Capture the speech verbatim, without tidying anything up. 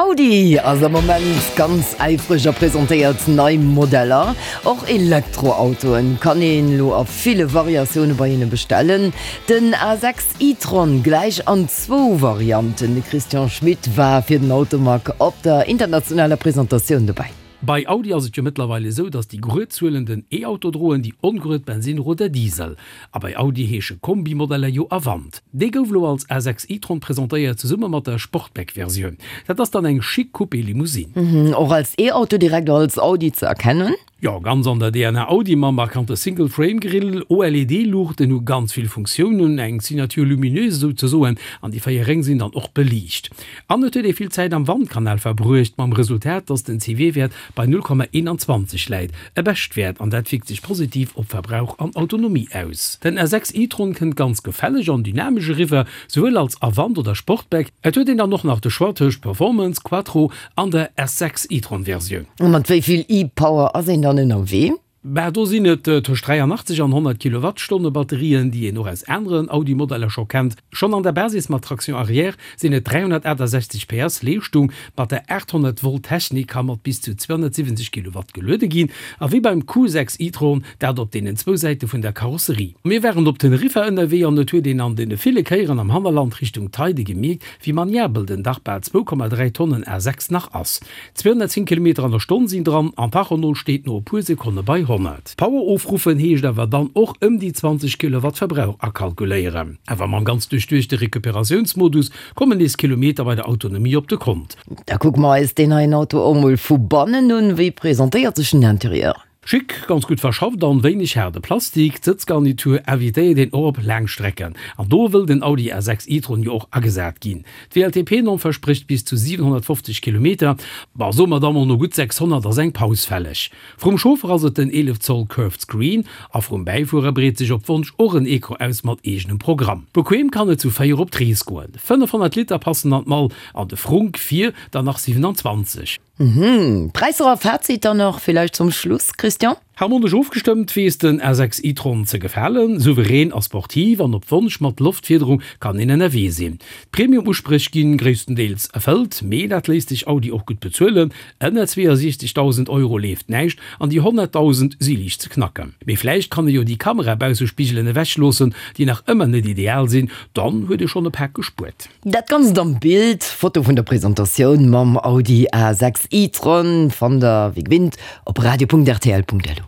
Audi ass am Moment ganz äifreg a presentéiert nei Modeller. Och Elektroautoen kann een elo a ville Variatioune bei hinne bestellen. Den A sechs e-tron gläich an zwou Varianten. De Christian Schmit war fir den Automag op der internationaler Presentatioun dobäi. Bei Audi ass et jo mëttlerweil esou, datt déi grued Zuelen den E-Auto droen, déi ongrued Bensin oder Diesel. A bei Audi heesche Kombi-Modeller jo Avant. Dee gouf elo als A sechs e-tron presentéiert, zesumme mat der Sportback-Versioun. Dat ass dann eng chic Coupé-Limousine. Och als E-Auto direkt als Audi ze erkennen? Jo, ganz an der D N A Audi mam markante Single-Frame-Grill, O L E D-Luuchten hu ganz vill Funktiounen, eng Signature lumineuse souzesoen, an déi véier Réng sinn dann och beliicht. An et huet ee vill Zäit am Wandkanal verbruecht, mam Resultat, dass den C W-Wäert bei null Komma eenanzwanzeg läit, e Beschtwäert, an dat wierkt sech positiv op Verbrauch an Autonomie aus. Den A sechs e-tron kënnt ganz gefälleg an dynamesch eriwwer, souwuel als Avant oder Sportback. Et huet een dann och nach de Choix tëscht Performance, Quattro an der S sechs e-tron-Versioun. A mat wéi vill e-Power ass een dann ënnerwee? Bah, do sinn et tëscht dräianachtzeg an honnert Kilowattstonne Batterien, déi een och aus aneren Audi-Modeller scho kennt. Schonn an der Basis mat Traction arrière sinn et dräihonnertaachtasechzeg P S Leeschtung. Mat der aathonnert Volt Technik ka mat bis zu zweihonnertsiwwenzeg Kilowatt geluede ginn. A wéi beim Q sechs e-tron, dat op deenen zwou Säite vun der Karosserie. Mir waren op Teneriffa ënnerwee an et huet een an deene ville Kéieren am Hannerland Richtung Teide gemierkt, wéi maniabel den dach bal zwou Komma dräi Tonnen A sechs nach ass. zweihonnertzéng Kilometer an der Stonn sinn dran an d'Tachonol steet no e puer Sekonne bei honnert. Power ofruffen heescht awer dann och ëm déi zwanzeg Kilowatt Verbrauch akalkuléieren. Awer mam ganz duerchduechte Recuperatiounsmodus kommen nees Kilometer bei der Autonomie op de Kont. Da kucke mer eis deen neien Auto och mol vu bannen un. Wéi presentéiert sech den Interieur? Schick, ganz gutt verschafft an wéineg haarde Plastik. D'Sëtzgarnitur invitéiert een och op laang Strecken. An do wëll den Audi A sechs e-tron jo och agesat ginn. D'W L T P-Norm versprécht bis zu siwenhonnertfofzeg Kilometer. Bah, soe mer da mol no gutt sechshonnert ass eng Paus fälleg. Vrum Chauffer ass et den eelef Zoll Curved Screen a vrum Bäifuerer breet sech op Wonsch och en Ecran aus mat eegenem Programm. Bequem kann et zu véier op d'Rees goen. Fënnefhonnert Liter passen an d'Mall an de Frunk vir dann nach siewenanzwanzeg. Mhm. Präisser a Fazit dann nach vielleicht zum Schluss, Christian? Harmonesch ofgestëmmt weess den A sechs e-tron ze gefalen, souverän a sportiv an op Wonsch mat Loftfiederung kann een ënnerwee sinn. D'Premium-Uspréch ginn gréisstendeels erfëllt, mee dat léisst sech Audi och gutt bezuelen. Ënner zweeënsiechzegdausend Euro leeft näischt an déi honnertdausend si liicht ze knacken. Mee vläicht kann e jo déi Kamerabausespigelen ewechloossen, déi nach ëmmer net ideal sinn, dann huet e schonn e Pak gespuert. Dat Ganzt am Bild, Foto vun der Presentatioun mam Audi A sechs e-tron fannt der wéi gewinnt op radio punkt r t l punkt l u.